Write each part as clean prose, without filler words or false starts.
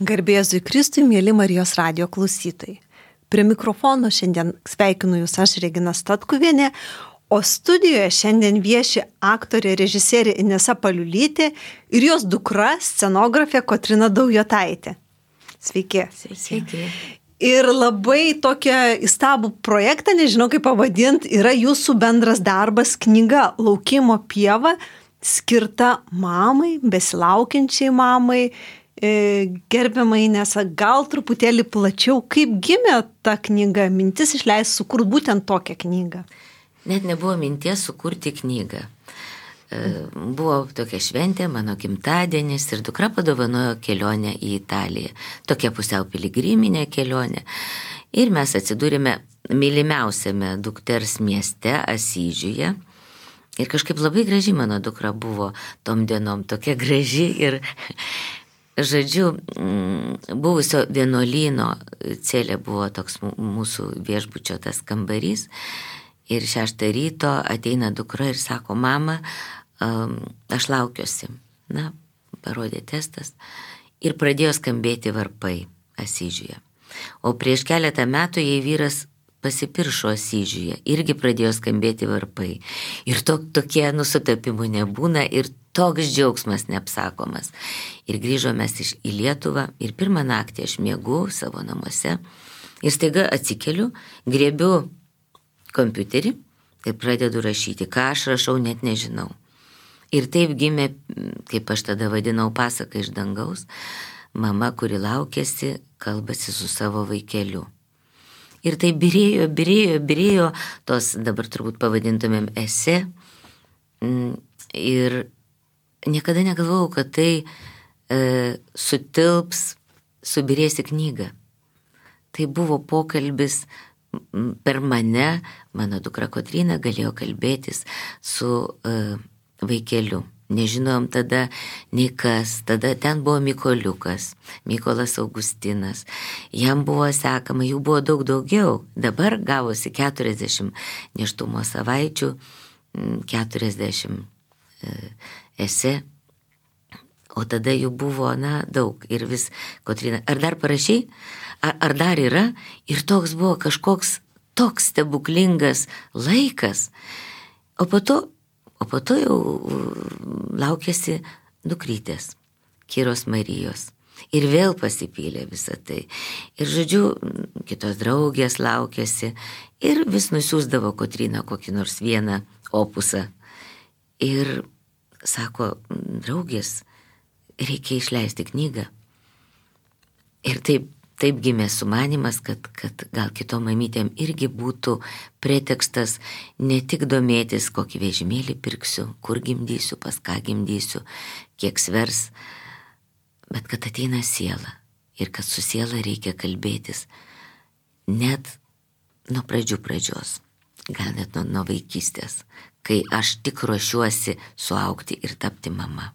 Garbė Jėzui Kristui, mėly Marijos radijo klausytojai. Prie mikrofono šiandien sveikinu Jūs aš, Regina Statkuvienė, o studijoje šiandien vieši aktorė, režisierė Inesa Paliulytė ir jos dukra, scenografė Kotryna Daujotaitė. Sveiki. Sveiki. Ir labai tokią įstabų projektą, nežinau kaip pavadinti, yra jūsų bendras darbas, knyga Laukimo pieva, skirta mamai, besilaukiančiai mamai. Gerbiamai Inesa, gal truputėlį plačiau, kaip gimė ta knyga, mintis išleisti sukurti būtent tokią knygą? Net nebuvo minties sukurti knygą. Buvo tokia šventė, mano gimtadienis ir dukra padovanojo kelionę į Italiją. Tokia pusiau piligriminė kelionė. Ir mes atsidūrėme mylimiausiame dukters mieste Asyžiuje. Ir kažkaip labai graži mano dukra buvo tom dienom, tokia graži ir... Žodžiu, buvusio vienuolyno celė buvo toks mūsų viešbučio tas kambarys ir 6 ryto ateina dukra ir sako, mama, aš laukiuosi. Na, parodė testas ir pradėjo skambėti varpai Asyžiuje. O prieš keletą metų jai vyras pasipiršo Asyžiuje, irgi pradėjo skambėti varpai. Ir tokie nusutapimų nebūna ir toks džiaugsmas neapsakomas. Ir grįžome mes į Lietuvą ir pirmą naktį aš miegu savo namuose ir staiga atsikeliu, griebiu kompiuterį ir pradedu rašyti. Ką aš rašau, net nežinau. Ir taip gimė, kaip aš tada vadinau, pasaka iš dangaus, mama, kuri laukėsi, kalbasi su savo vaikeliu. Ir tai birėjo, tos dabar turbūt pavadintumėm esė. Ir niekada negalvojau, kad tai sutilps, subirės į knygą. Tai buvo pokalbis per mane, mano dukra Kotryna galėjo kalbėtis su vaikeliu. Nežinojom tada nei kas, tada ten buvo Mykoliukas, Mykolas Augustinas, jam buvo sekama, jų buvo daug daugiau, dabar gavosi 40 nėštumo savaičių, 40 esė, o tada jų buvo, daug ir vis, Kotryna, ar dar parašy, ar dar yra, ir toks buvo kažkoks toks stebuklingas laikas, o po to jau laukėsi dukrytės, Kiros Marijos. Ir vėl pasipylė visą tai. Ir žodžiu, kitos draugės laukėsi ir vis nusiųsdavo Kotryna kokį nors vieną opusą. Ir sako, draugės, reikia išleisti knygą. Ir taip gimė sumanymas, kad gal kitom mamytėm irgi būtų pretekstas ne tik domėtis, kokį vežimėlį pirksiu, kur gimdysiu, pas ką gimdysiu, kiek svers, bet kad ateina siela ir kad su siela reikia kalbėtis net nuo pradžios, gal net nuo vaikystės, kai aš tik ruošiuosi suaugti ir tapti mama.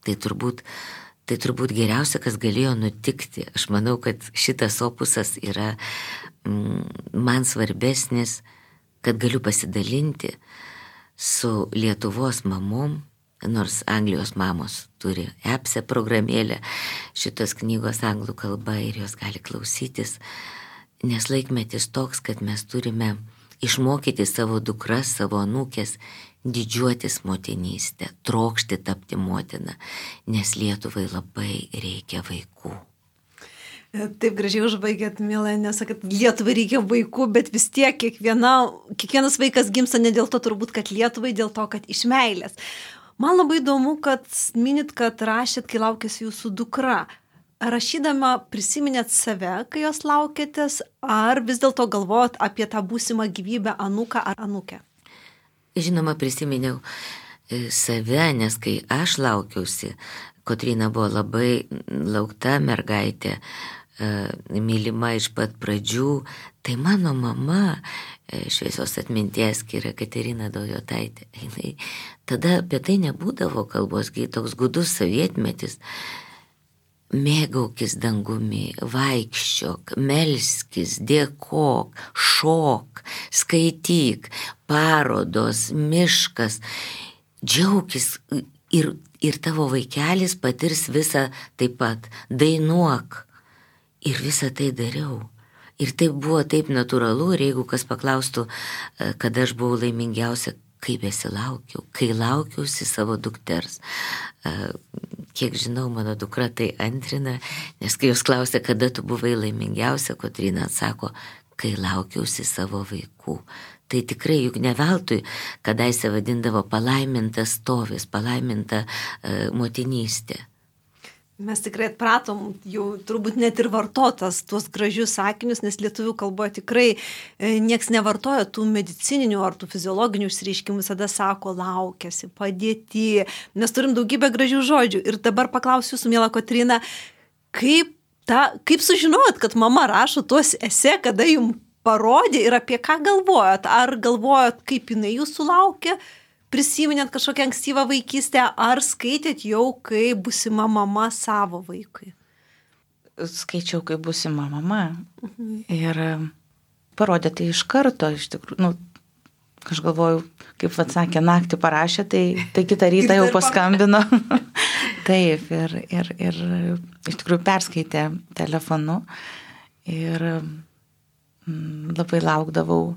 Tai turbūt geriausia, kas galėjo nutikti. Aš manau, kad šitas opusas yra man svarbesnis, kad galiu pasidalinti su Lietuvos mamom, nors Anglijos mamos turi EPSE programėlę, šitos knygos anglų kalba ir jos gali klausytis, nes laikmetis toks, kad mes turime išmokyti savo dukras, savo anūkės, didžiuotis motinystę, trokšti tapti motina, nes Lietuvai labai reikia vaikų. Taip gražiai užbaigėt, mėla, nesakot, Lietuvai reikia vaikų, bet vis tiek kiekvienas vaikas gimsta ne dėl to turbūt, kad Lietuvai, dėl to, kad iš meilės. Man labai įdomu, kad minit, kad rašėt, kai laukėsi jūsų dukra. Rašydama prisiminėt save, kai jos laukėtės, ar vis dėlto galvojot apie tą būsimą gyvybę anūką ar anūkę? Žinoma, prisiminiau save, nes kai aš laukiausi, Kotryna buvo labai laukta mergaitė, mylima iš pat pradžių, tai mano mama, šviesios atminties Kira Katerina Daujotaitė, tada apie tai nebūdavo kalbos, kai toks gudus sovietmetis, mėgaukis dangumi, vaikščiok, melskis, dėkok, šok, skaityk, parodos, miškas, džiaukis ir tavo vaikelis patirs visą taip pat, dainuok, Ir visą tai dariau. Ir tai buvo taip natūralu, ir jeigu kas paklaustų, kada aš buvau laimingiausia, kai besilaukiau, kai laukiausi savo dukters. Kiek žinau, mano dukra tai antrina, nes kai jūs klausė, kada tu buvai laimingiausia, Kotryna atsako, kai laukiausi savo vaikų. Tai tikrai juk ne veltui, kadaise vadindavo palaimintas stovis, palaiminta motinystė. Mes tikrai atpratom jau turbūt net ir vartotas tuos gražius sakinius, nes lietuvių kalboje tikrai nieks nevartoja tų medicininių ar tų fiziologinių išsireiškimų, visada sako laukiasi, padėti. Mes turim daugybę gražių žodžių. Ir dabar paklausiu jūsų, miela Kotryna, kaip sužinojot, kad mama rašo tuos esė, kada jums parodė ir apie ką galvojot? Ar galvojot, kaip jinai jūsų laukia? Prisiminėt kažkokią ankstyvą vaikystę, ar skaitėt jau, kai būsima mama savo vaikui? Skaičiau, kai būsima mama. Ir parodė tai iš karto, iš tikrųjų. Aš galvoju, kaip atsakė, naktį parašė, tai kitą rytą jau paskambino. Taip, ir iš tikrųjų perskaitė telefonu. Ir labai laukdavau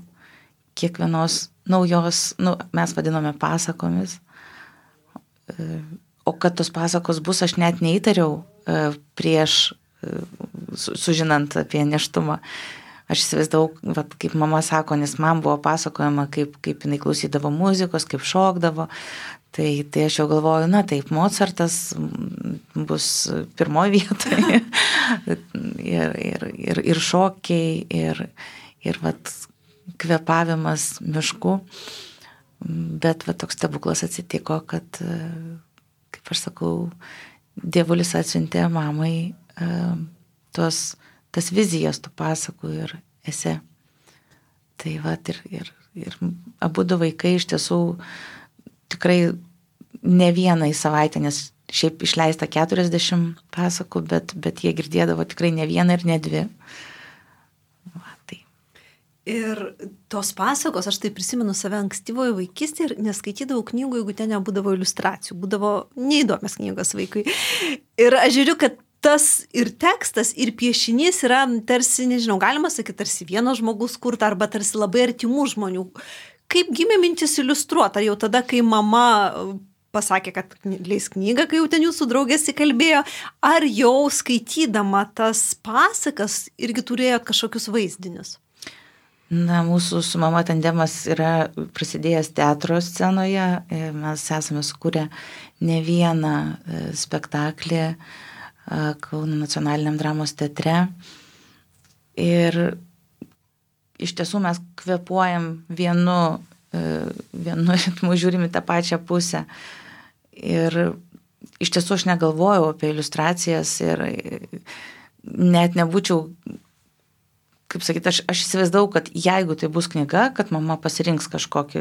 kiekvienos naujos, mes vadinome pasakomis, o kad tos pasakos bus, aš net neįtariau prieš sužinant apie nėštumą. Aš įsivaizdavau, kaip mama sako, nes man buvo pasakojama, kaip jinai klausydavo muzikos, kaip šokdavo. Tai aš jau galvoju, taip, Mozartas bus pirmoje vietoje. ir šokiai, ir kvėpavimas mišku. Bet toks stebuklas atsitiko, kad, kaip aš sakau, Dievulis atsiuntė mamai tas vizijas tų pasakų ir esė. Tai ir abudu vaikai iš tiesų tikrai ne vieną į savaitę, nes šiaip išleista 40 pasakų, bet jie girdėdavo tikrai ne vieną ir ne dvi. Ir tos pasakos, aš tai prisimenu save ankstyvoje vaikystėje ir neskaitydavau knygų, jeigu ten nebūdavo iliustracijų, būdavo neįdomios knygos vaikui. Ir aš žiūriu, kad tas ir tekstas, ir piešinys yra tarsi, nežinau, galima sakyti, tarsi vieno žmogus kurta arba tarsi labai artimų žmonių. Kaip gimė mintis iliustruoti? Ar jau tada, kai mama pasakė, kad leis knygą, kai jau ten jūsų draugės įkalbėjo, ar jau skaitydama tas pasakas irgi turėjot kažkokius vaizdinius? Mūsų su mama tandemas yra prasidėjęs teatro scenoje. Mes esame sukūrę ne vieną spektaklį Kauno nacionaliniam dramos teatre. Ir iš tiesų mes kvėpuojam vienu ritmu, žiūrim į tą pačią pusę. Ir iš tiesų aš negalvojau apie iliustracijas ir net nebūčiau, kaip sakyti, aš įsivaizdavau, kad jeigu tai bus knyga, kad mama pasirinks kažkokį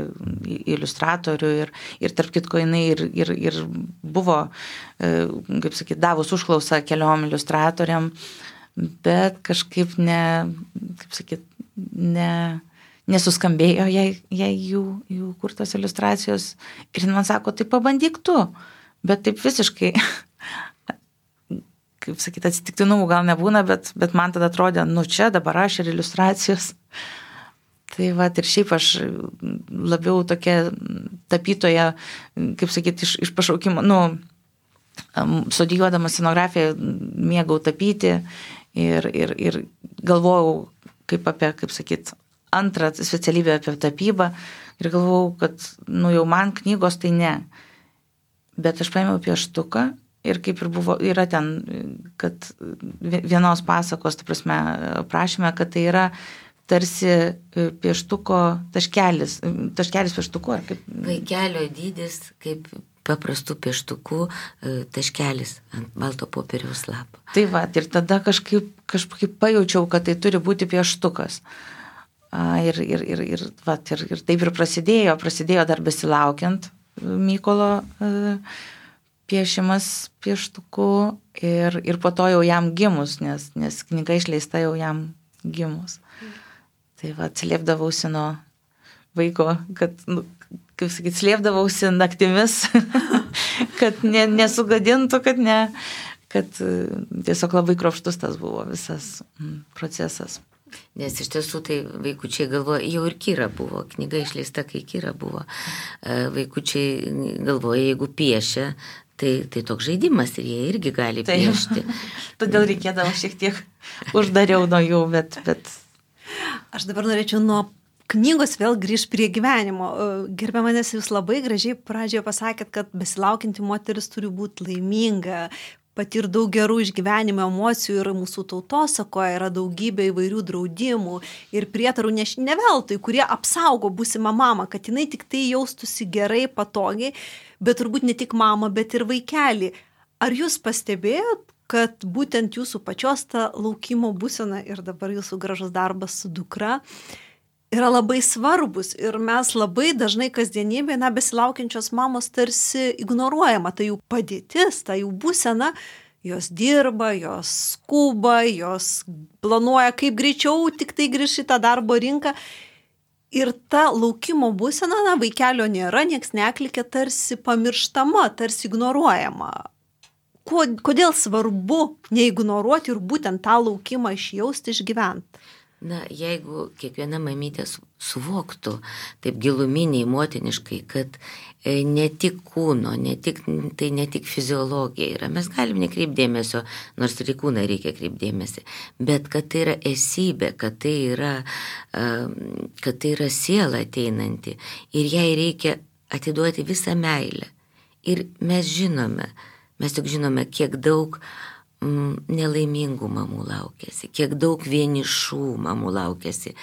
iliustratorių ir tarp kitko jinai ir buvo, kaip sakyti, davus užklausą keliom iliustratoriam, bet kažkaip nesuskambėjo jai jų kurtos iliustracijos. Ir man sako, tai pabandyk tu, bet taip visiškai kaip sakyti, atsitiktinumų gal nebūna, bet man tada atrodė, čia dabar aš ir iliustracijos. Tai ir šiaip aš labiau tokia tapytoja, kaip sakyti, iš pašaukimo, studijuodama scenografiją mėgau tapyti ir galvojau kaip sakyti, antrą specialybę apie tapybą ir galvojau, kad jau man knygos tai ne. Bet aš paėmiau pieštuką. Ir kaip ir buvo, yra ten, kad vienos pasakos, ta prasme, prašyme, kad tai yra tarsi pieštuko taškelis pieštuku, ar kaip? Vaikelio dydis, kaip paprastų pieštukų taškelis ant balto popieriaus lapo. Tai ir tada kažkaip pajaučiau, kad tai turi būti pieštukas. Ir taip ir prasidėjo dar besilaukiant Mykolo piešimas pieštuku ir po to jau jam gimus, nes knyga išleista jau jam gimus. Tai atsiliepdavausi nuo vaiko, kad, kaip sakyti, slėpdavausi naktimis, kad nesugadintų, kad tiesiog labai kruopštus tas buvo visas procesas. Nes iš tiesų tai vaikučiai galvoja, jau ir Kira buvo, knyga išleista, kai Kira buvo. Vaikučiai galvoja, jeigu piešia, tai toks žaidimas ir jie irgi gali piešti. Todėl reikėdavo šiek tiek uždariau nuo jų, bet... Aš dabar norėčiau nuo knygos vėl grįžti prie gyvenimo. Gerbiamanės, jūs labai gražiai pradžioje pasakėt, kad besilaukianti moteris turi būti laiminga, patir daug gerų išgyvenimo emocijų ir mūsų tautosakoje yra daugybė įvairių draudimų ir prietarų ne veltui, kurie apsaugo būsimą mamą, kad jinai tik tai jaustųsi gerai, patogiai, bet turbūt ne tik mamą, bet ir vaikelį. Ar jūs pastebėjot, kad būtent jūsų pačios ta laukimo būsena ir dabar jūsų gražus darbas su dukra yra labai svarbus ir mes labai dažnai kasdienybėje, besilaukiančios mamos tarsi ignoruojama, tai jų padėtis, tai jų būsena, jos dirba, jos skuba, jos planuoja kaip greičiau tik tai grįžti į tą darbo rinką ir ta laukimo būsena, vaikelio nėra, nieks neklikė, tarsi pamirštama, tarsi ignoruojama. Kodėl svarbu neignoruoti ir būtent tą laukimą išjausti, išgyventi? Na, jeigu kiekviena mamytė suvoktų taip giluminiai, motiniškai, kad ne tik kūno, tai ne tik fiziologija yra, mes galim nekreipti dėmesio, nors ir į kūną reikia kreipti dėmesį, bet kad tai yra esybė, kad tai yra siela ateinanti ir jai reikia atiduoti visą meilę. Ir mes tik žinome, kiek daug nelaimingų mamų laukiasi, kiek daug vienišų mamų laukiasi,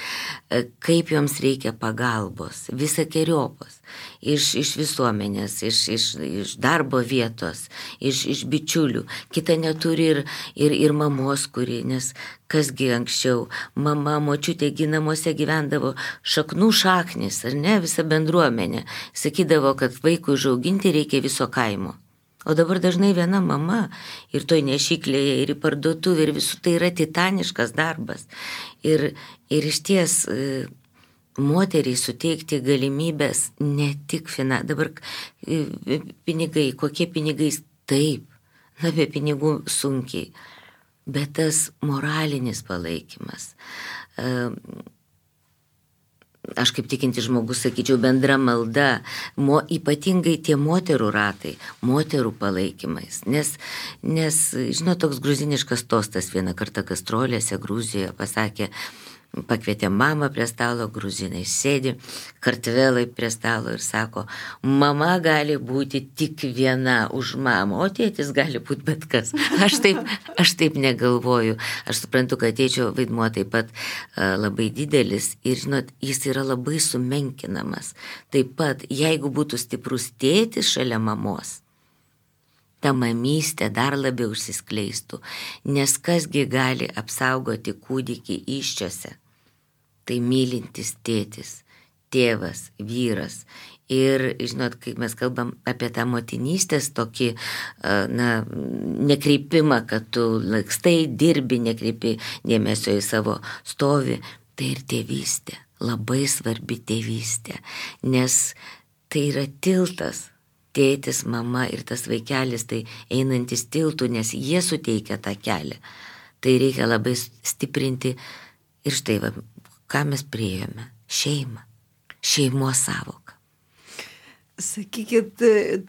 kaip joms reikia pagalbos, visokeriopos, iš visuomenės, iš darbo vietos, iš bičiulių. Kita neturi ir mamos, nes kasgi anksčiau mama, močiutė namuose gyvendavo šaknų šaknis, ar ne, visa bendruomenė. Sakydavo, kad vaikui užauginti reikia viso kaimo. O dabar dažnai viena mama ir toj nešyklėje, ir į parduotuvę, ir visų tai yra titaniškas darbas. Ir iš ties moteriai suteikti galimybės ne tik dabar pinigai, kokie pinigai, taip, be pinigų sunkiai, bet tas moralinis palaikymas. Aš kaip tikinti žmogus sakyčiau, bendra malda, ypatingai tie moterų ratai, moterų palaikymais. Nes žinot, toks gruziniškas tostas vieną kartą gastrolėse Gruzijoje pasakė, pakvietė mamą prie stalo, gruzinai sėdi, kartvelai prie stalo ir sako, mama gali būti tik viena už mamą, o tėtis gali būti bet kas. Aš taip negalvoju. Aš suprantu, kad tėčio vaidmuo taip pat labai didelis ir, žinot, jis yra labai sumenkinamas. Taip pat, jeigu būtų stiprus tėtis šalia mamos, ta mamystė dar labiau užsiskleistų, nes kasgi gali apsaugoti kūdikį įsčiose. Tai mylintis tėtis, tėvas, vyras. Ir, žinot, kai mes kalbam apie tą motinystės tokį, nekreipimą, kad tu lakstai dirbi, nekreipi dėmesio į savo stovį, tai ir tėvystė, labai svarbi tėvystė, nes tai yra tiltas. Tėtis, mama ir tas vaikelis, tai einantis tiltų, nes jie suteikia tą kelią. Tai reikia labai stiprinti. Ir štai, ką mes priėjome? Šeimą. Šeimos savoką. Sakykit,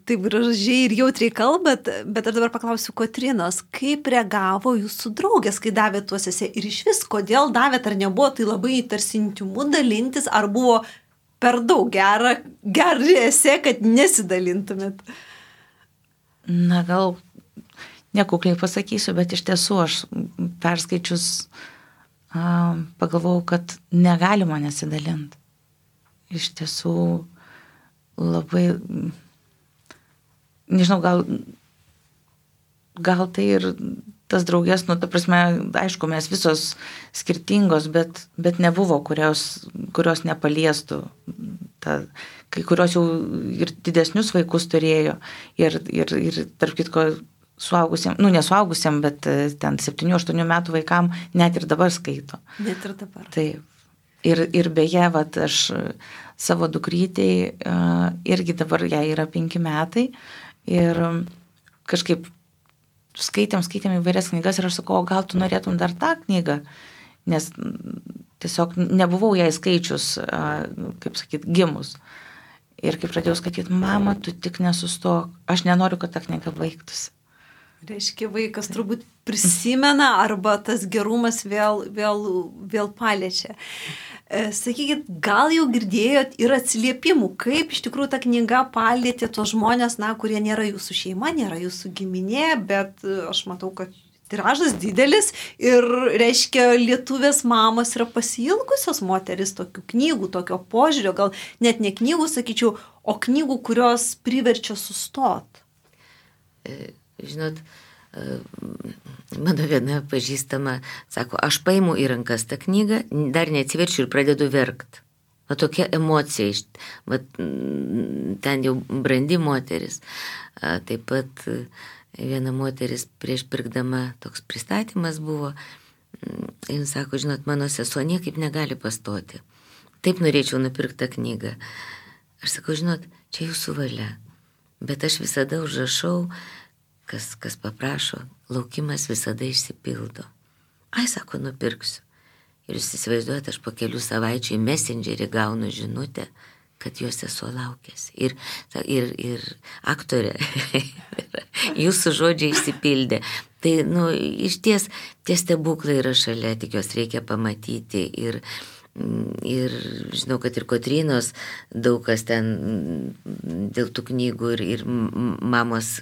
taip gražiai ir jautriai kalbat, bet aš dabar paklausiu Kotrynos, kaip reagavo jūsų draugės, kai davė tuos esė ir iš vis, kodėl davėt, ar nebuvo tai labai tarsi intimu dalintis, ar buvo per daug gerą esė, kad nesidalintumėt? Na, gal nekukliai pasakysiu, bet iš tiesų aš perskaičius pagalvojau, kad negalima nesidalinti. Iš tiesų labai, nežinau, gal tai ir tas draugės, ta prasme, aišku, mes visos skirtingos, bet nebuvo, kurios nepaliestų. Kai kurios jau ir didesnius vaikus turėjo ir tarp kitko suaugusiam, nesuaugusiam, bet ten 7-8 metų vaikam net ir dabar skaito. Net ir dabar. Taip. Ir beje, aš savo dukrytei irgi dabar jai yra 5 metai ir kažkaip skaitėm įvairias knygas ir aš sakau, gal tu norėtum dar tą knygą, nes tiesiog nebuvau jai skaičius, kaip sakyt, gimus. Ir kai pradėjau skaityti, mama, tu tik nesustok, aš nenoriu, kad ta knyga baigtųsi. Reiškia, vaikas turbūt prisimena arba tas gerumas vėl paliečia. Sakykit, gal jau girdėjot ir atsiliepimų, kaip iš tikrųjų ta knyga palietė tos žmonės, kurie nėra jūsų šeima, nėra jūsų giminė, bet aš matau, kad tiražas didelis ir, reiškia, lietuvės mamos yra pasiilgusios moteris tokių knygų, tokio požiūrio, gal net ne knygų, sakyčiau, o knygų, kurios priverčia sustot. Žinot, mano viena pažįstama sako, aš paimu į rankas tą knygą, dar neatsiverčiu ir pradedu verkt. O tokia emocija, ten jau brandi moteris. Taip pat viena moteris prieš pirkdama toks pristatymas buvo, jis sako, žinot, mano sesuo niekaip negali pastoti. Taip norėčiau nupirkti tą knygą. Aš sakau, žinot, čia jūsų valia, bet aš visada užrašau, kas paprašo, laukimas visada išsipildo. Ai, sako, nupirksiu. Ir jūs įsivaizduojate, aš po kelių savaičių į Messengerį gaunu žinutę, kad jos sesuo laukėsi. Ir aktorė, jūsų žodžiai išsipildė. Tai, iš ties, tie stebuklai yra šalia, tik jos reikia pamatyti. Ir žinau, kad ir Kotrynos daug kas ten dėl tų knygų ir mamos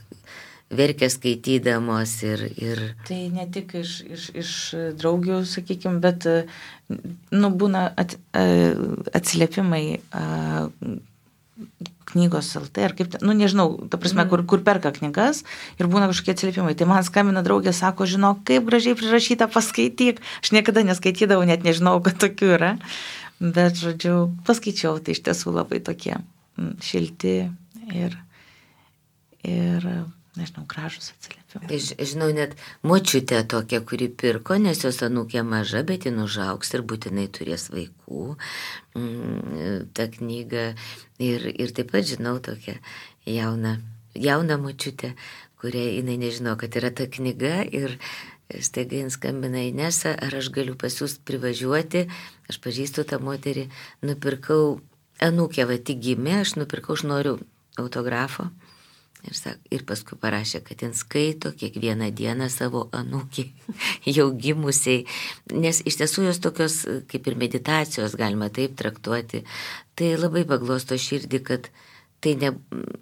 verkia skaitydamos ir... Tai ne tik iš draugių, sakykime, bet būna atsiliepimai knygos LT, ar kaip, nežinau, ta prasme, kur perka knygas ir būna kažkokie atsiliepimai. Tai man skambina draugė, sako, žinok, kaip gražiai prirašyta, paskaityk. Aš niekada neskaitydavau, net nežinau, kad tokių yra. Bet, žodžiu, paskaičiau, tai iš tiesų labai tokie šilti ir nežinau, gražus atsiliepimai. Žinau, net močiutė tokia, kuri pirko, nes jos anūkė maža, bet jin užaugs ir būtinai turės vaikų tą knygą. Ir taip pat žinau tokią jauną močiutę, kuria jinai nežino, kad yra ta knyga ir staiga jin skambina Inesa, ar aš galiu pas jūs privažiuoti, aš pažįstu tą moterį, nupirkau, anūkė tik gimė, aš noriu autografo. Ir paskui parašė, kad jin skaito kiekvieną dieną savo anūkį jau gimusiai, nes iš tiesų jos tokios kaip ir meditacijos galima taip traktuoti. Tai labai paglosto širdį, kad tai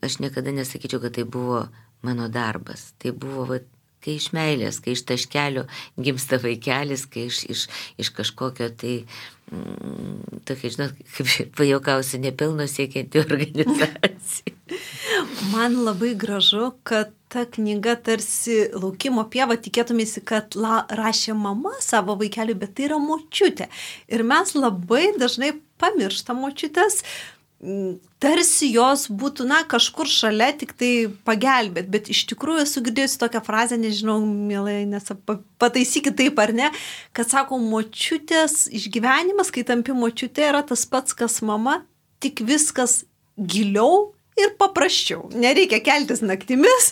aš niekada nesakyčiau, kad tai buvo mano darbas. Tai buvo kai iš meilės, kai iš taškelio gimsta vaikelis, kai iš kažkokio tai tokia, žinot, kaip pajuokausiu, nepelno siekianti organizacija. Man labai gražu, kad ta knyga tarsi laukimo pieva, tikėtumėsi, kad rašė mama savo vaikeliui, bet tai yra močiutė. Ir mes labai dažnai pamirštam močiutės, tarsi jos būtų, kažkur šalia tik tai pagelbėt, bet iš tikrųjų esu girdėjusi tokią frazę, nežinau, mielai, nes pataisykit taip ar ne, kad sako, močiutės išgyvenimas, kai tampi močiutė, yra tas pats, kas mama, tik viskas giliau ir paprasčiau. Nereikia keltis naktimis,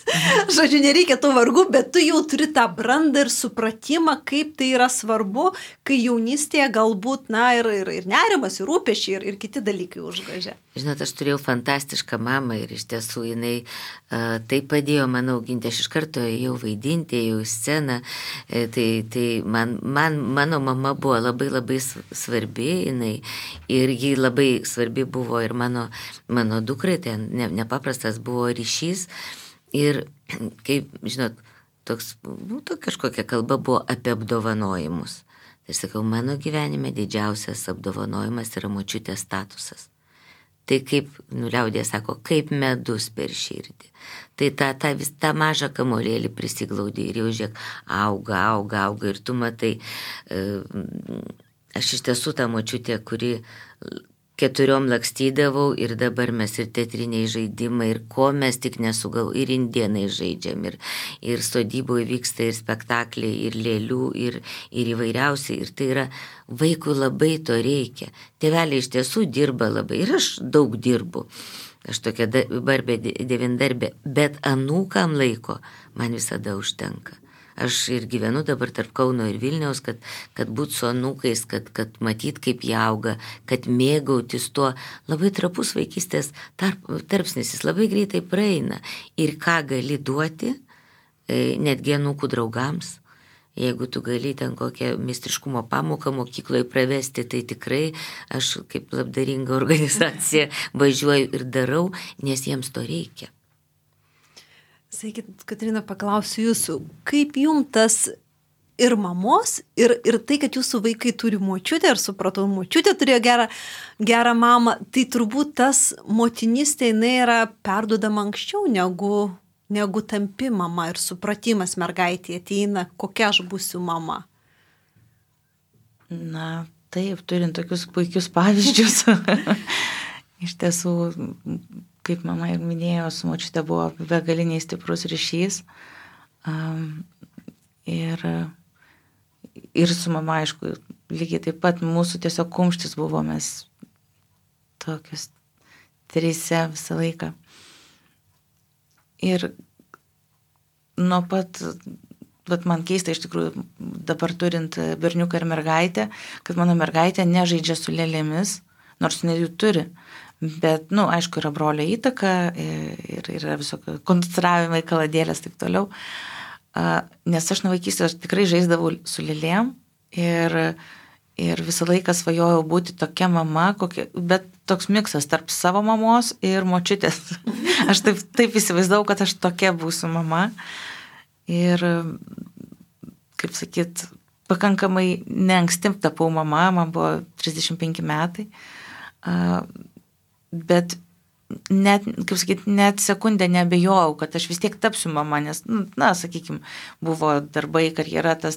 žodžiu, nereikia tų vargų, bet tu jau turi tą brandą ir supratimą, kaip tai yra svarbu, kai jaunystėje galbūt, ir nerimas, ir rūpesčiai, ir kiti dalykai užgažia. Žinot, aš turėjau fantastišką mamą ir iš tiesų jinai tai padėjo man auginti. Aš iš karto ėjau vaidinti, ėjau į sceną. Tai mano mama buvo labai labai svarbi jinai ir ji labai svarbi buvo ir mano dukrai, ten nepaprastas buvo ryšys. Ir kaip, žinot, toks, kažkokia kalba buvo apie apdovanojimus. Tai sakau, mano gyvenime didžiausias apdovanojimas yra močiutės statusas. Tai kaip, liaudė sako, kaip medus per širdį. Tai tą mažą kamolėlį prisiglaudė ir jau žiūrėk, auga ir tu matai, aš iš tiesų tą močiutę, kuri 4 lakstydavau ir dabar mes ir teatriniai žaidimai, ir ko mes tik ir indienai žaidžiam, ir sodyboje vyksta ir spektakliai, ir lėlių, ir įvairiausiai, ir tai yra vaikui labai to reikia. Tėveliai iš tiesų dirba labai ir aš daug dirbu. aš tokia barbė devindarbė, bet anūkam laiko man visada užtenka. Aš ir gyvenu dabar tarp Kauno ir Vilniaus, kad būt su anūkais, kad matyt, kaip jie auga, kad mėgautis tuo. Labai trapus vaikystės tarpsnis, jis labai greitai praeina. Ir ką gali duoti, netgi anūkų draugams. Jeigu tu gali ten kokią meistriškumo pamoką mokykloje pravesti, tai tikrai aš kaip labdaringa organizacija važiuoju ir darau, nes jiems to reikia. Sakykit, Kotryna, paklausiu jūsų, kaip jums tas ir mamos, ir tai, kad jūsų vaikai turi močiutę, ir supratau, močiutė turėjo gerą mamą, tai turbūt tas motinystė, jinai yra perduodama anksčiau negu tampi mama ir supratimas mergaitė ateina, kokia aš būsiu mama. Na, taip, turint tokius puikius pavyzdžius. Iš tiesų, kaip mama ir minėjo, su močiute buvo begaliniai stiprus ryšys. Ir su mama, aišku, lygiai taip pat mūsų tiesiog kumštis buvo, mes tokius trise visą laiką. Ir nuo pat, man keista iš tikrųjų, dabar turint berniuką ir mergaitę, kad mano mergaitė nežaidžia su lėlėmis, nors jinai jų turi. Bet, aišku, yra brolio įtaka ir yra visokio konstravimai, kaladėlės, taip toliau. Nes aš nuo vaikystės tikrai žaisdavau su lėlėm ir visą laiką svajojau būti tokia mama, bet toks miksas tarp savo mamos ir močiutės. Aš taip įsivaizdavau, kad aš tokia būsiu mama. Ir, kaip sakyt, pakankamai neanksti tapau mama, man buvo 35 metai. Bet net, kaip sakyt, net sekundę nebejojau, kad aš vis tiek tapsiu mama, nes, sakykime, buvo darbai, karjera, tas.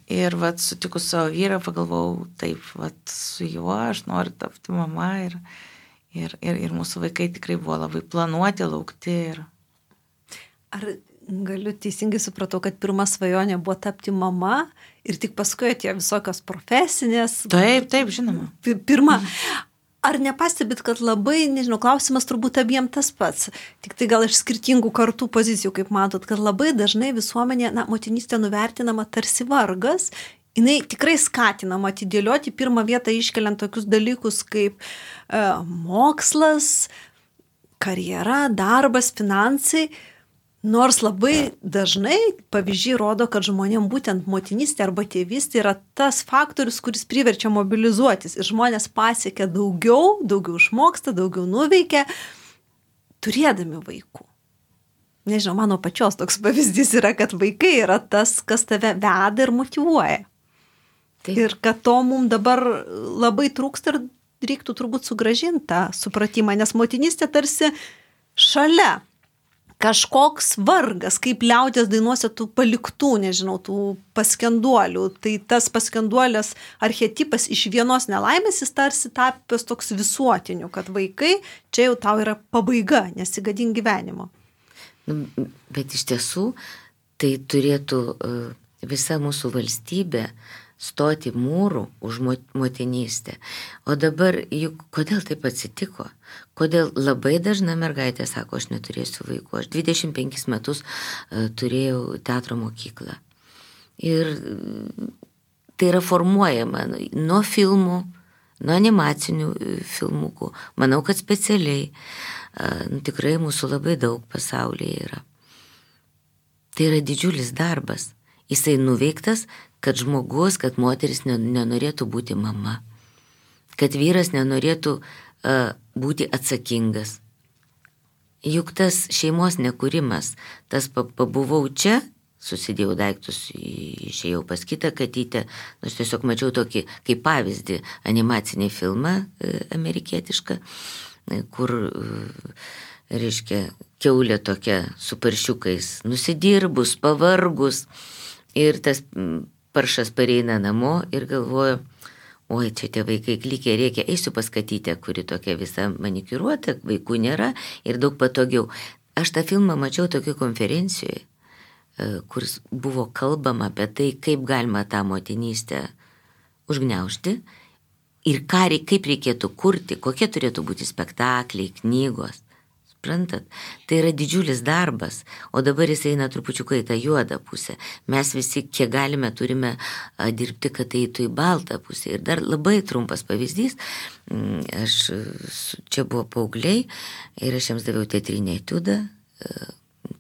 Ir sutikus savo vyrą, pagalvojau, taip, su juo aš noriu tapti mama ir mūsų vaikai tikrai buvo labai planuoti, laukti. Ar galiu teisingai supratau, kad pirma svajonė buvo tapti mama ir tik paskui atėjo visokios profesinės? Taip, žinoma. Pirma. Ar nepastebit, kad labai, klausimas turbūt abiem tas pats, tik tai gal iš skirtingų kartų pozicijų, kaip matot, kad labai dažnai visuomenė, motinystė nuvertinama tarsi vargas, jinai tikrai skatinama atidėlioti, pirmą vietą iškeliant tokius dalykus kaip mokslas, karjera, darbas, finansai. Nors labai dažnai pavyzdžiai rodo, kad žmonėm būtent motinystė arba tėvystė yra tas faktorius, kuris priverčia mobilizuotis. Ir žmonės pasiekia daugiau išmoksta, daugiau nuveikia, turėdami vaikų. Nežinau, mano pačios toks pavyzdys yra, kad vaikai yra tas, kas tave veda ir motyvuoja. Taip. Ir kad to mums dabar labai trūksta ir reiktų turbūt sugrąžinti tą supratimą, nes motinystė tarsi šalia. Kažkoks vargas, kaip liaudies dainuose tų paliktų, tų paskenduolių. Tai tas paskenduolės archetipas iš vienos nelaimės jis tarsi tapęs toks visuotiniu, kad vaikai čia jau tau yra pabaiga, nesigadink gyvenimo. Bet iš tiesų tai turėtų visa mūsų valstybė stoti mūrų už motinystę. O dabar juk kodėl taip atsitiko? Kodėl labai dažna mergaitė sako, aš neturėsiu vaikų. Aš 25 metus turėjau teatro mokyklą. Ir tai yra formuojama nuo filmų, nuo animacinių filmukų. Manau, kad specialiai. Tikrai mūsų labai daug pasaulyje yra. Tai yra didžiulis darbas. Jisai nuveiktas, kad žmogus, kad moteris nenorėtų būti mama. Kad vyras nenorėtų būti atsakingas. Juk tas šeimos nekūrimas, tas pabuvau čia, susidėjau daiktus, išėjau pas kitą katytę, aš tiesiog mačiau tokį kaip pavyzdį animacinį filmą amerikietišką, kur, reiškia, kiaulė tokia su paršiukais, nusidirbus, pavargus ir tas paršas pareina namo ir galvoju, oi, čia tie vaikai klykia, reikia, eisiu pas katytę, kuri tokia visa manikiruota, vaikų nėra ir daug patogiau. Aš tą filmą mačiau tokioje konferencijoje, kur buvo kalbama apie tai, kaip galima tą motinystę užgniaužti ir kaip reikėtų kurti, kokie turėtų būti spektakliai, knygos. Suprantat, tai yra didžiulis darbas, o dabar jis eina trupučiuką į tą juodą pusę. Mes visi, kiek galime, turime dirbti, kad tai eitų į baltą pusę. Ir dar labai trumpas pavyzdys, čia buvo paaugliai ir aš jiems daviau teatrinę etiudą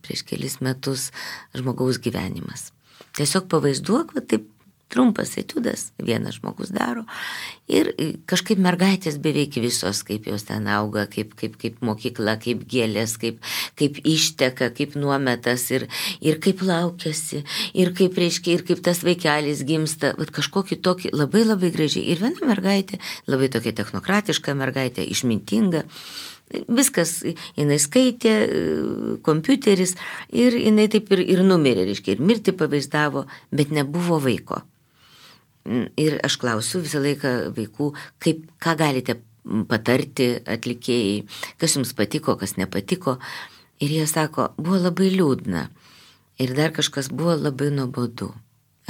prieš kelis metus žmogaus gyvenimas. Tiesiog pavaizduok, va taip trumpas etiudas, vienas žmogus daro ir kažkaip mergaitės beveik visos, kaip jos ten auga, kaip mokykla, kaip gėlės, kaip išteka, kaip nuometas ir kaip laukiasi, ir kaip tas vaikelis gimsta, vat kažkokį tokį labai labai gražiai. Ir viena mergaitė, labai tokia technokratiška mergaitė, išmintinga, viskas, jinai skaitė, kompiuteris ir jinai taip ir numirė, reiškia, ir mirtį pavaizdavo, bet nebuvo vaiko. Ir aš klausiu visą laiką vaikų, ką galite patarti atlikėjai, kas jums patiko, kas nepatiko. Ir jie sako, buvo labai liūdna. Ir dar kažkas buvo labai nuobodu.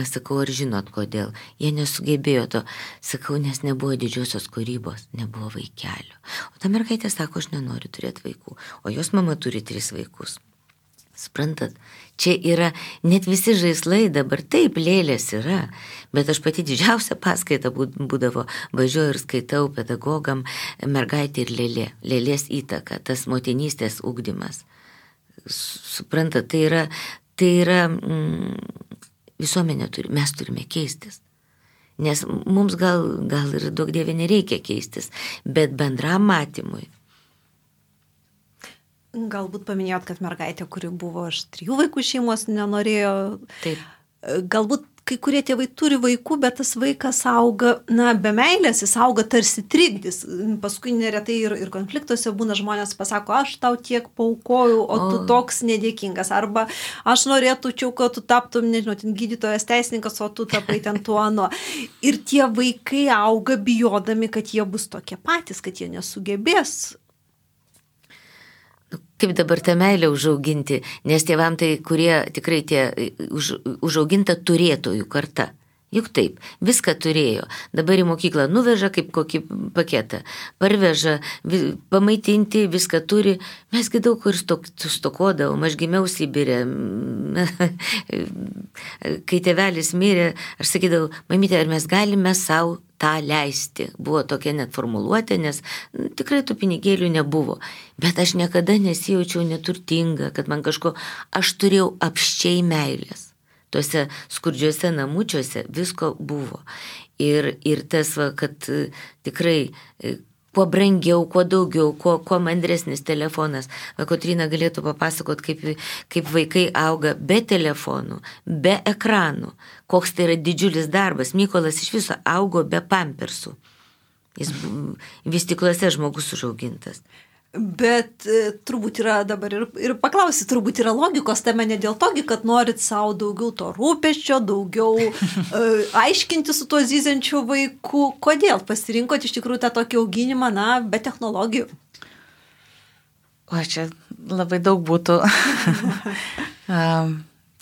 Aš sakau, ar žinot kodėl? Jie nesugebėjo to. Sakau, nes nebuvo didžiosios kūrybos, nebuvo vaikelio. O ta mergaitė sako, aš nenoriu turėti vaikų. O jos mama turi 3 vaikus. Suprantat, čia yra net visi žaislai dabar, taip, lėlės yra, bet aš pati didžiausia paskaita būdavo, važiuoju ir skaitau pedagogam mergaitė ir lėlė, lėlės įtaka, tas motinystės ugdymas. Suprantat, tai yra visuomenė mes turime keistis. Nes mums gal ir daug dievė nereikia keistis, bet bendram matymui. Galbūt paminėjot, kad mergaitė, kuri buvo iš 3 vaikų šeimos, nenorėjo. Taip. Galbūt kai kurie tėvai turi vaikų, bet tas vaikas auga, be meilės, jis auga tarsi trikdis. Paskui neretai ir konfliktuose būna žmonės pasako, aš tau tiek paukojau, o tu toks nedėkingas. Arba aš norėčiau, kad tu taptum, nežinau, gydytojas, teisininkas, o tu tapai ten tuo ano. Ir tie vaikai auga bijodami, kad jie bus tokie patys, kad jie nesugebės. Kaip dabar tą meilę užauginti, nes tėvam tai, kurie tikrai užauginta turėtojų karta. Juk taip, viską turėjo. Dabar į mokyklą nuveža kaip kokį paketą, parveža, pamaitinti, viską turi. Mesgi daug kur stokodavom, aš gimiau Sibire. Kai tėvelis mirė, aš sakydavau, mamytė, ar mes galime savo tą leisti. Buvo tokia net formuluotė, nes tikrai tų pinigėlių nebuvo. Bet aš niekada nesijaučiau neturtinga, kad man aš turėjau apsčiai meilės. Tuose skurdžiuose namučiuose visko buvo. Ir tas, kad tikrai kuo brangiau, kuo daugiau, kuo mandresnis telefonas. Kotryna galėtų papasakot, kaip vaikai auga be telefonų, be ekranų. Koks tai yra didžiulis darbas. Mykolas iš viso augo be pampersų. Jis vystyklose žmogus užaugintas. Bet turbūt yra dabar ir paklausi, turbūt yra logikos tame ne dėl togi, kad norit savo daugiau to rūpesčio, daugiau aiškinti su tuo zyziančiu vaiku. Kodėl pasirinkot iš tikrųjų tą tokį auginimą, be technologijų? O čia labai daug būtų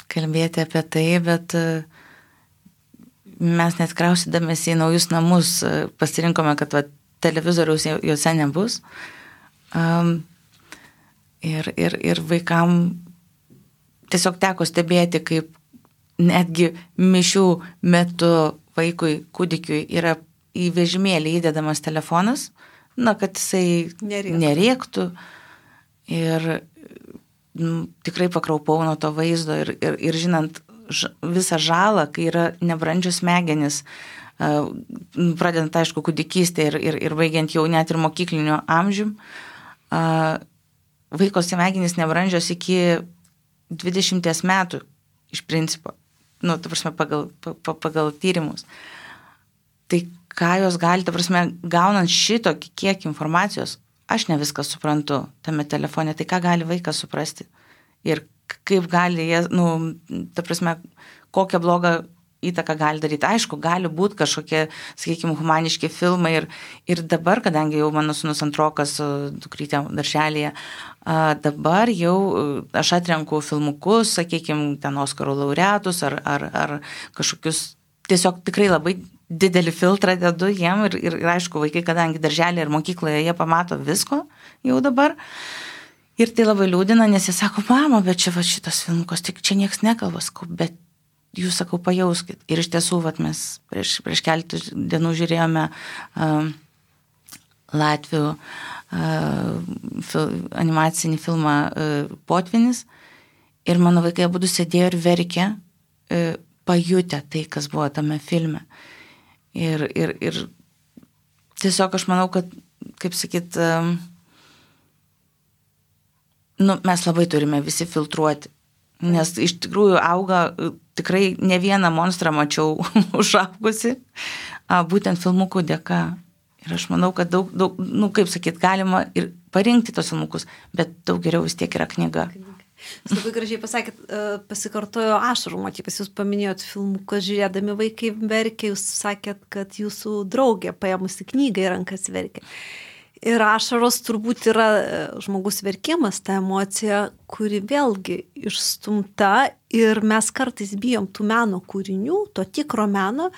kalbėti apie tai, bet mes net kraustydamės į naujus namus pasirinkome, kad televizoriaus juose nebus. Ir vaikam tiesiog teko stebėti, kaip netgi mišių metu vaikui, kūdikiui yra į vežimėlį įdedamas telefonas, kad jisai nerėktų. Ir tikrai pakraupau nuo to vaizdo ir žinant visą žalą, kai yra nebrandžios smegenys, pradedant, aišku, kūdikystę ir baigiant jau net ir mokyklinio amžium, vaiko smegenys nebrandžios iki 20 metų iš principo, ta prasme, pagal tyrimus. Tai ką jos gali, ta prasme, gaunant šitokį kiek informacijos, aš ne viską suprantu tame telefone, tai ką gali vaikas suprasti ir kaip gali jie, ta prasme, kokią blogą įtaką gali daryti. Aišku, gali būti kažkokie, sakykime, humaniški filmai ir dabar, kadangi jau mano sūnus antrokas dukrytė darželėje, dabar jau aš atrenku filmukus, sakykime, ten Oskarų laureatus ar kažkokius tiesiog tikrai labai didelį filtrą dedu jiem ir aišku, vaikai, kadangi darželį ir mokykloje jie pamato visko jau dabar. Ir tai labai liūdina, nes jie sako, mama, bet čia va šitas filmukas, tik čia nieks nekalba, sakau, bet jūs, sakau, pajauskit. Ir iš tiesų, mes prieš keletą dienų žiūrėjome Latvių animacinį filmą Potvinis ir mano vaikai abudu sėdėjo ir verkė, pajutę tai, kas buvo tame filme. Ir tiesiog aš manau, kad, kaip sakyt, mes labai turime visi filtruoti, nes iš tikrųjų auga, tikrai ne vieną monstrą mačiau užaugusi, būtent filmukų dėka. Ir aš manau, kad daug, kaip sakyt, galima ir parinkti tos filmukus, bet daug geriau vis tiek yra knyga. Jūs labai gražiai pasakėt, pasikartojo ašarų motyvas, jūs paminėjot filmukus, žiūrėdami vaikai verkė, jūs sakėt, kad jūsų draugė paėmusi knygą į rankas verkė. Ir ašaros turbūt yra žmogus verkimas, ta emocija, kuri vėlgi išstumta ir mes kartais bijom tų meno kūrinių, to tikro meno,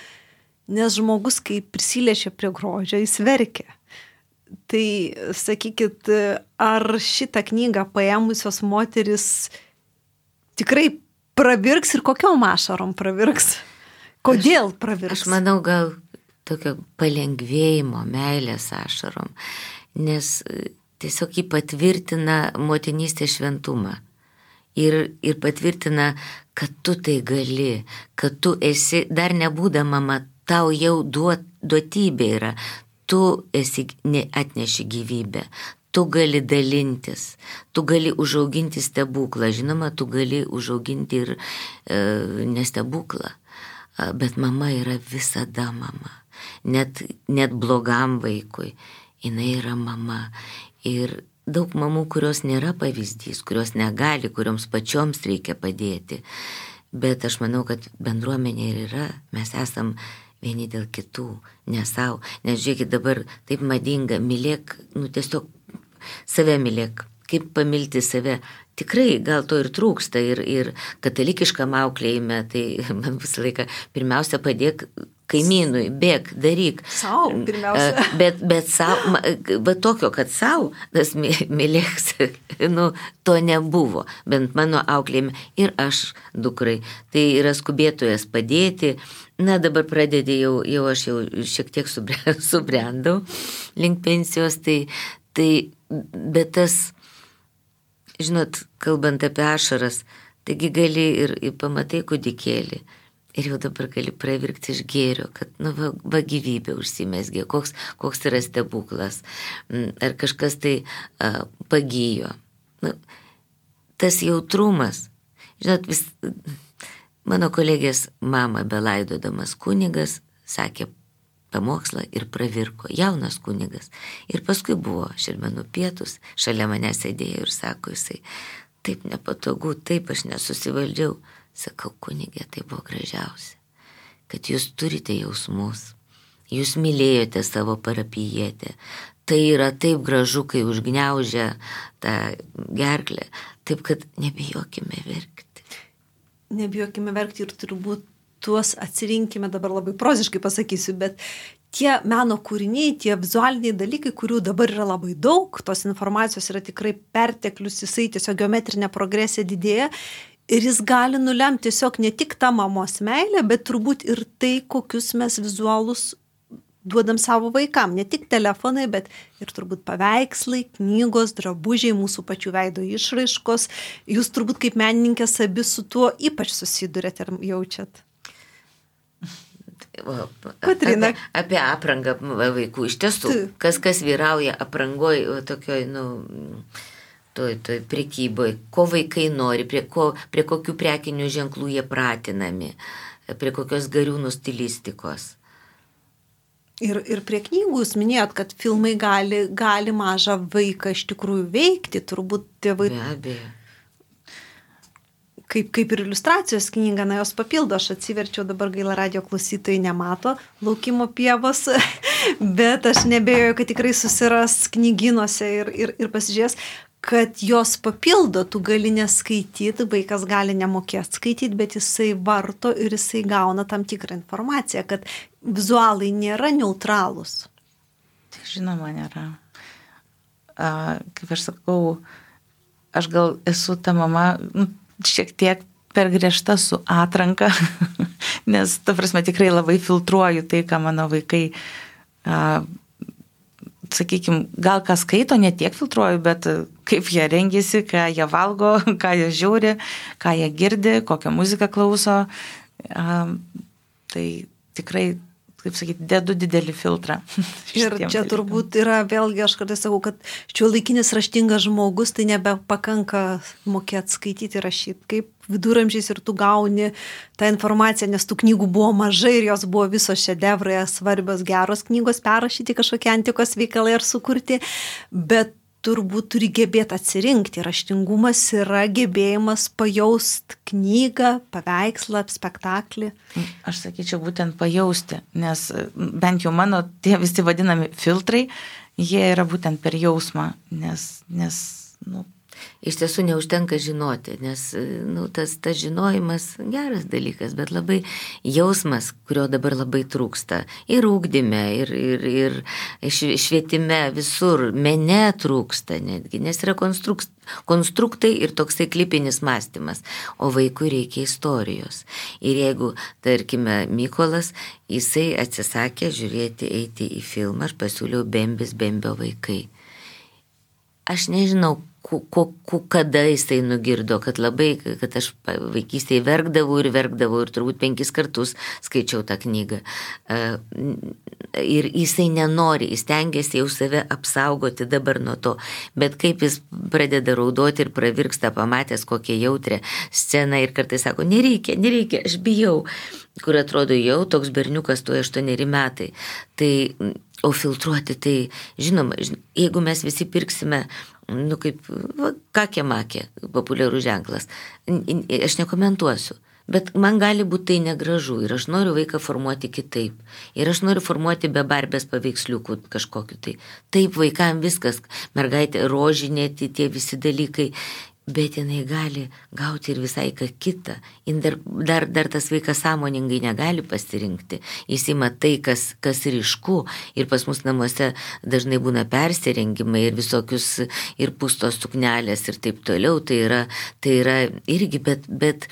nes žmogus, kai prisiliečia prie grožio, jis verkia. Tai sakykit, ar šitą knygą paėmusios moteris tikrai pravirks ir kokiom ašarom pravirks? Kodėl pravirks? Aš manau, gal tokio palengvėjimo, meilės ašarom, nes tiesiog jį patvirtina motinystės šventumą ir patvirtina, kad tu tai gali, kad tu esi, dar nebūdama mama, tau jau duotybė yra, tu atneši gyvybę, tu gali dalintis, tu gali užauginti stebuklą, žinoma, tu gali užauginti ir nestebuklą, bet mama yra visada mama. Net blogam vaikui, jinai yra mama. Ir daug mamų, kurios nėra pavyzdys, kurios negali, kurioms pačioms reikia padėti. Bet aš manau, kad bendruomenė ir yra, mes esam vieni dėl kitų, ne savo. Nes žiūrėkit, dabar taip madinga, mylėk, tiesiog save mylėk, kaip pamilti save. Tikrai gal to ir trūksta ir katalikiškam auklėjime, tai man visą laiką pirmiausia padėk kaimynui, bėk, daryk. Sau, pirmiausia. Bet sau, va tokio, kad sau, tas mylėks, to nebuvo, bent mano auklėjime ir aš dukrai. Tai yra skubėtojas padėti. Na, dabar pradedi jau aš jau šiek tiek subrendau link pensijos, bet tas, žinot, kalbant apie ašaras, taigi gali ir pamatai kūdikėlį ir jau dabar gali pravirkti iš gėrio, kad, va gyvybė užsimesgė, koks yra stebuklas, ar kažkas tai pagijo. Tas jautrumas, žinot, mano kolegės mama belaidodamas kunigas sakė pamokslą ir pravirko, jaunas kunigas. Ir paskui buvo Šermenų pietus, šalia mane sėdėjo ir sako jisai, taip nepatogu, taip aš nesusivaldžiau. Sakau, kunigė, tai buvo gražiausia, kad jūs turite jausmus, jūs mylėjote savo parapijietę. Tai yra taip gražu, kai užgniaužia tą gerklę, taip kad nebijokime verkti. Nebijokime verkti ir turbūt tuos atsirinkime, dabar labai proziškai pasakysiu, bet tie meno kūriniai, tie vizualiniai dalykai, kurių dabar yra labai daug, tos informacijos yra tikrai perteklius, jisai tiesiog geometrinė progresija didėja ir jis gali nulemti tiesiog ne tik tą mamos meilę, bet turbūt ir tai, kokius mes vizualus duodam savo vaikam, ne tik telefonai, bet ir turbūt paveikslai, knygos, drabužiai, mūsų pačių veido išraiškos. Jūs turbūt kaip menininkės abi su tuo ypač susidurėte ir jaučiat. Kotryna. Apie aprangą vaikų. Iš tiesų, kas vyrauja aprangoj tokioj, toj prekyboj, ko vaikai nori, prie kokių prekinių ženklų jie pratinami, prie kokios gariūnų stilistikos. Ir prie knygų jūs minėjot, kad filmai gali mažą vaiką iš tikrųjų veikti, turbūt tėvai. Be abejo. Kaip ir iliustracijos knyga, jos papildo, aš atsiverčiau, dabar gaila radijo klausytojai nemato Laukimo pievos, bet aš nebejoju, kad tikrai susiras knygynuose ir pasižiūrės. kad jos papildo, tu gali neskaityti, vaikas gali nemokėti skaityti, bet jisai varto ir jisai gauna tam tikrą informaciją, kad vizualai nėra neutralūs. Tai žinoma, nėra. Kaip aš sakau, aš gal esu ta mama šiek tiek per griežta su atranka, nes, ta prasme, tikrai labai filtruoju tai, ką mano vaikai, sakykime, gal ką skaito, ne tiek filtruoju, bet kaip jie rengiasi, ką jie valgo, ką jie žiūri, ką jie girdi, kokią muziką klauso. Tai tikrai, kaip sakyti, dedu didelį filtrą. Ir čia turbūt yra, vėlgi aš kartais sakau, kad šiuolaikinis raštingas žmogus, tai nebepakanka mokėti skaityti ir rašyti. Kaip viduramžiais ir tu gauni tą informaciją, nes tų knygų buvo mažai ir jos buvo visos šedevrai, svarbios, geros knygos, perrašyti kažkokie antikos veikalai ar sukurti, bet turbūt turi gebėti atsirinkti. Raštingumas yra gebėjimas pajaust knygą, paveikslą, spektaklį. Aš sakyčiau, būtent pajausti, nes bent jau mano tie visi vadinami filtrai, jie yra būtent per jausmą, nes Iš tiesų neužtenka žinoti, nes tas žinojimas geras dalykas, bet labai jausmas, kurio dabar labai trūksta. Ir ugdyme, ir švietime, visur, mene trūksta netgi, nes yra konstruktai ir toksai klipinis mąstymas, o vaikui reikia istorijos. Ir jeigu, tarkime, Mykolas, jisai atsisakė žiūrėti, eiti į filmą, aš pasiūliau Bembio vaikai. Aš nežinau, kada jisai nugirdo, kad aš vaikystėje verkdavau ir turbūt 5 kartus skaičiau tą knygą. Ir jisai nenori, jis tengiasi jau save apsaugoti dabar nuo to, bet kaip jis pradeda raudoti ir pravirksta, pamatęs kokią jautrią sceną ir kartais sako, nereikia, aš bijau, kur atrodo jau toks berniukas, tuo 8 metai. O filtruoti, tai žinoma, jeigu mes visi pirksime, kaip kakė-makė, populiarus ženklas, aš nekomentuosiu, bet man gali būti tai negražu ir aš noriu vaiką formuoti kitaip. Ir aš noriu formuoti be Barbės paveiksliukų kažkokiu tai. Taip vaikam viskas, mergaitė, rožinė, tie visi dalykai. Bet jinai gali gauti ir visai ką kitą. Dar tas vaikas sąmoningai negali pasirinkti. Jis ima tai, kas ryšku. Ir pas mus namuose dažnai būna persirengimai ir visokius ir pustos suknelės ir taip toliau. Tai yra irgi, bet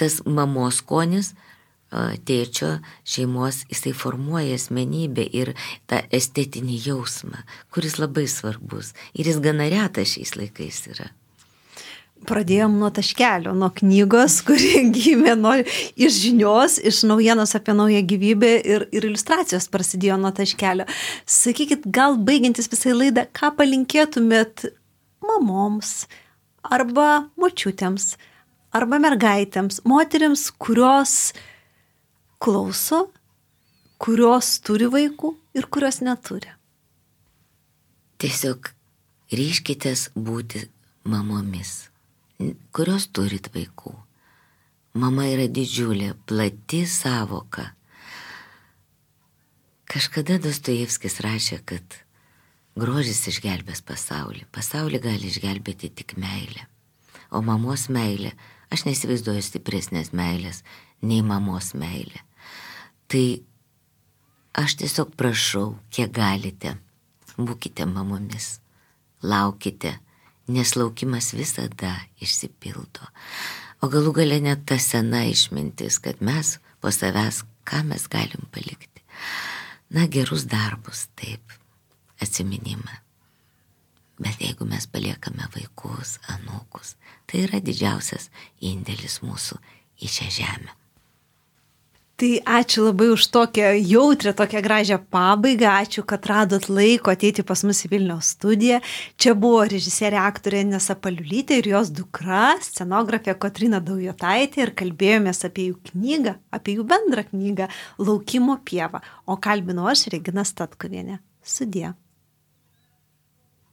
tas mamos skonis, tėčio, šeimos, jisai formuoja asmenybę ir tą estetinį jausmą, kuris labai svarbus. Ir jis gana retas šiais laikais yra. Pradėjom nuo taškelio, nuo knygos, kuri gimė iš žinios, iš naujienos apie naują gyvybę ir iliustracijos prasidėjo nuo taškelio. Sakykit, gal baigiantis visai laidą, ką palinkėtumėt mamoms arba močiutėms, arba mergaitėms, moterims, kurios klauso, kurios turi vaikų ir kurios neturi? Tiesiog ryžkitės būti mamomis, kurios turit vaikų. Mama yra didžiulė, plati savoka. Kažkada Dostojevskis rašė, kad grožis išgelbės pasaulį. Pasaulį gali išgelbėti tik meilė. O mamos meilė, aš neįsivaizduoju stipresnės meilės nei mamos meilė. Tai aš tiesiog prašau, kiek galite, būkite mamomis, laukite, nes laukimas visada išsipildo. O galų gale net ta sena išmintis, kad mes po savęs, ką mes galim palikti. Gerus darbus, taip, atsiminimą. Bet jeigu mes paliekame vaikus, anūkus, tai yra didžiausias indėlis mūsų į šią žemę. Tai ačiū labai už tokią jautrę, tokią gražią pabaigą. Ačiū, kad radot laiko ateiti pas mus į Vilniaus studiją. Čia buvo režisierė aktorė Inesa Paliulytė ir jos dukra, scenografė Kotryna Daujotaitė ir kalbėjomės apie jų knygą, apie jų bendrą knygą Laukimo pieva. O kalbinau aš, Regina Statkuvienė. Sudie.